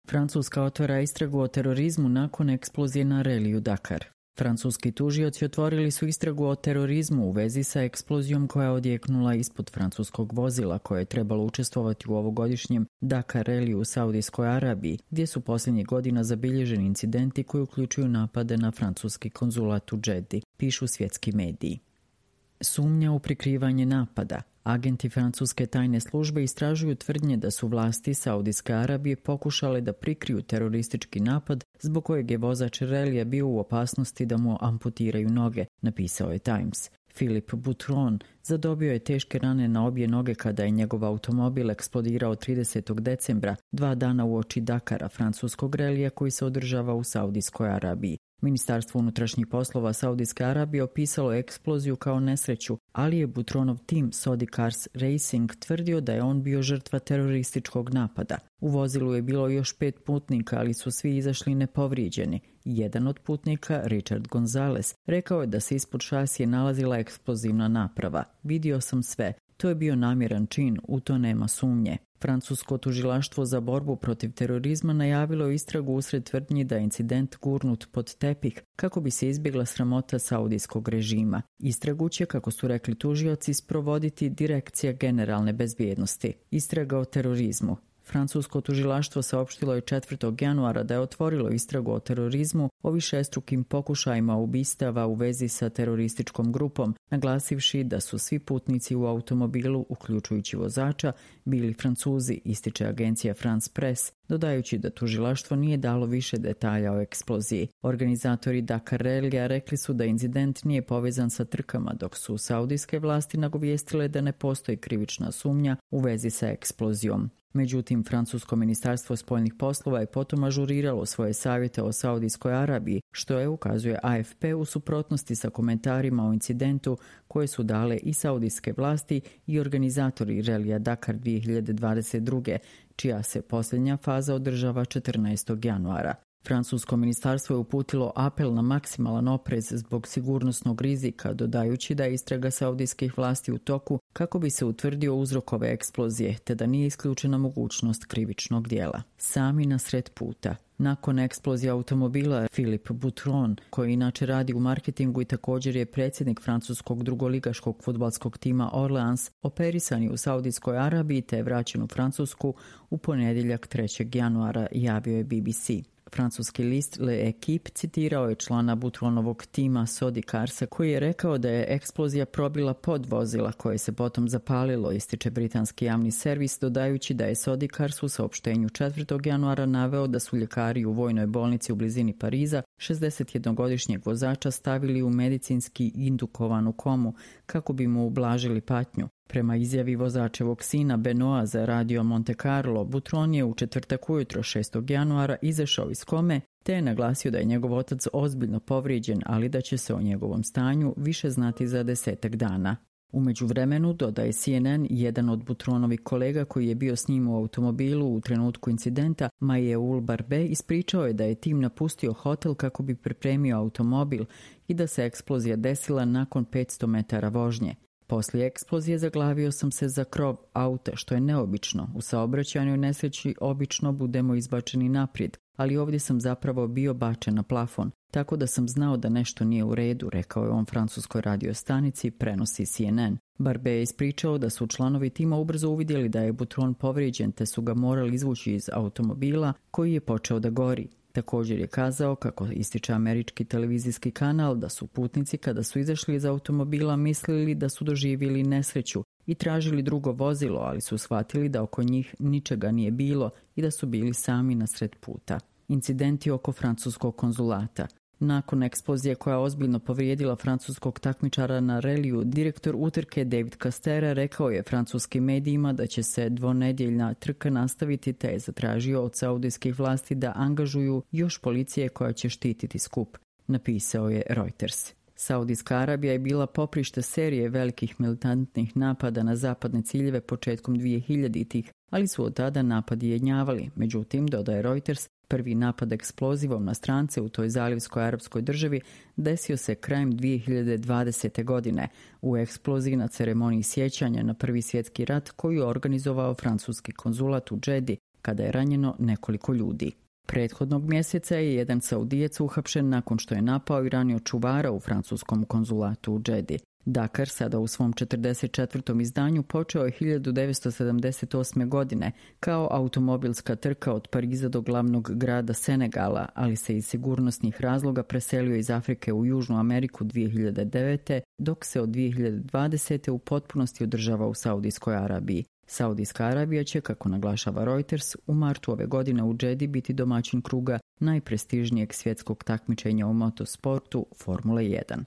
Francuska otvara istragu o terorizmu nakon eksplozije na reliju Dakar. Francuski tužioci otvorili su istragu o terorizmu u vezi sa eksplozijom koja je odjeknula ispod francuskog vozila koje je trebalo učestvovati u ovogodišnjem Dakar reliju u Saudijskoj Arabiji, gdje su posljednjih godina zabilježeni incidenti koji uključuju napade na francuski konzulat u Džedi, pišu svjetski mediji. Sumnja u prikrivanje napada. Agenti francuske tajne službe istražuju tvrdnje da su vlasti Saudijske Arabije pokušale da prikriju teroristički napad zbog kojeg je vozač relija bio u opasnosti da mu amputiraju noge, napisao je Times. Philippe Boutron zadobio je teške rane na obje noge kada je njegov automobil eksplodirao 30. decembra, 2 dana uoči Dakara, francuskog relija koji se održava u Saudijskoj Arabiji. Ministarstvo unutrašnjih poslova Saudijske Arabije opisalo eksploziju kao nesreću, ali je Boutronov tim Saudi Cars Racing tvrdio da je on bio žrtva terorističkog napada. U vozilu je bilo još 5 putnika, ali su svi izašli nepovrijeđeni. Jedan od putnika, Richard Gonzalez, rekao je da se ispod šasije nalazila eksplozivna naprava. Vidio sam sve. To je bio namjeran čin, u to nema sumnje. Francusko tužilaštvo za borbu protiv terorizma najavilo istragu usred tvrdnji da je incident gurnut pod tepih kako bi se izbjegla sramota saudijskog režima. Istragu će, kako su rekli tužioci, sprovoditi Direkcija generalne bezbjednosti. Istraga o terorizmu. Francusko tužilaštvo saopštilo je 4. januara da je otvorilo istragu o terorizmu o višestrukim pokušajima ubistava u vezi sa terorističkom grupom, naglasivši da su svi putnici u automobilu, uključujući vozača, bili Francuzi, ističe agencija France Press, dodajući da tužilaštvo nije dalo više detalja o eksploziji. Organizatori Dakar relija rekli su da incident nije povezan sa trkama, dok su saudijske vlasti nagovijestile da ne postoji krivična sumnja u vezi sa eksplozijom. Međutim, francusko ministarstvo spoljnih poslova je potom ažuriralo svoje savjete o Saudijskoj Arabiji, što je, ukazuje AFP, u suprotnosti sa komentarima o incidentu koje su dale i saudijske vlasti i organizatori relija Dakar 2022. čija se posljednja faza održava 14. januara. Francusko ministarstvo je uputilo apel na maksimalan oprez zbog sigurnosnog rizika, dodajući da je istraga saudijskih vlasti u toku kako bi se utvrdio uzrok ove eksplozije, te da nije isključena mogućnost krivičnog dijela. Sami na sred puta. Nakon eksplozije automobila, Philippe Boutron, koji inače radi u marketingu i također je predsjednik francuskog drugoligaškog fudbalskog tima Orleans, operisan je u Saudijskoj Arabiji te je vraćen u Francusku u ponedjeljak 3. januara, javio je BBC. Francuski list Le Equipe citirao je člana Boutronovog tima Saudi Carsa koji je rekao da je eksplozija probila pod vozila koje se potom zapalilo, ističe britanski javni servis, dodajući da je Saudi Cars u saopštenju 4. januara naveo da su ljekari u vojnoj bolnici u blizini Pariza 61-godišnjeg vozača stavili u medicinski indukovanu komu kako bi mu ublažili patnju. Prema izjavi vozačevog sina Benoa za radio Monte Carlo, Boutron je u četvrtak ujutro 6. januara izašao iz kome te je naglasio da je njegov otac ozbiljno povrijeđen, ali da će se o njegovom stanju više znati za 10 dana. U međuvremenu, dodaje CNN, jedan od Boutronovih kolega koji je bio s njim u automobilu u trenutku incidenta, Majeul Barbe, ispričao je da je tim napustio hotel kako bi pripremio automobil i da se eksplozija desila nakon 500 metara vožnje. Poslije eksplozije zaglavio sam se za krov auta, što je neobično. U saobraćajnoj nesreći obično budemo izbačeni naprijed, ali ovdje sam zapravo bio bačen na plafon, tako da sam znao da nešto nije u redu, rekao je on francuskoj radiostanici, prenosi CNN. Barbe je ispričao da su članovi tima ubrzo uvidjeli da je Boutron povrijeđen te su ga morali izvući iz automobila koji je počeo da gori. Također je kazao, kako ističe američki televizijski kanal, da su putnici kada su izašli iz automobila mislili da su doživjeli nesreću i tražili drugo vozilo, ali su shvatili da oko njih ničega nije bilo i da su bili sami na sred puta. Incidenti oko francuskog konzulata. Nakon eksplozije koja je ozbiljno povrijedila francuskog takmičara na reliju, direktor utrke David Castera rekao je francuskim medijima da će se dvonedjeljna trka nastaviti te je zatražio od saudijskih vlasti da angažuju još policije koja će štititi skup, napisao je Reuters. Saudijska Arabija je bila poprište serije velikih militantnih napada na zapadne ciljeve početkom 2000-ih, ali su od tada napadi jenjavali. Međutim, dodaje Reuters, prvi napad eksplozivom na strance u toj zalivskoj arapskoj državi desio se krajem 2020. godine u eksploziji na ceremoniji sjećanja na Prvi svjetski rat koju je organizovao francuski konzulat u Džedi, kada je ranjeno nekoliko ljudi. Prethodnog mjeseca je jedan Saudijac uhapšen nakon što je napao i ranio čuvara u francuskom konzulatu u Džedi. Dakar sada u svom 44. izdanju počeo je 1978. godine kao automobilska trka od Pariza do glavnog grada Senegala, ali se iz sigurnosnih razloga preselio iz Afrike u Južnu Ameriku 2009. dok se od 2020. u potpunosti održava u Saudijskoj Arabiji. Saudijska Arabija će, kako naglašava Reuters, u martu ove godine u Džedi biti domaćin kruga najprestižnijeg svjetskog takmičenja u motosportu Formule 1.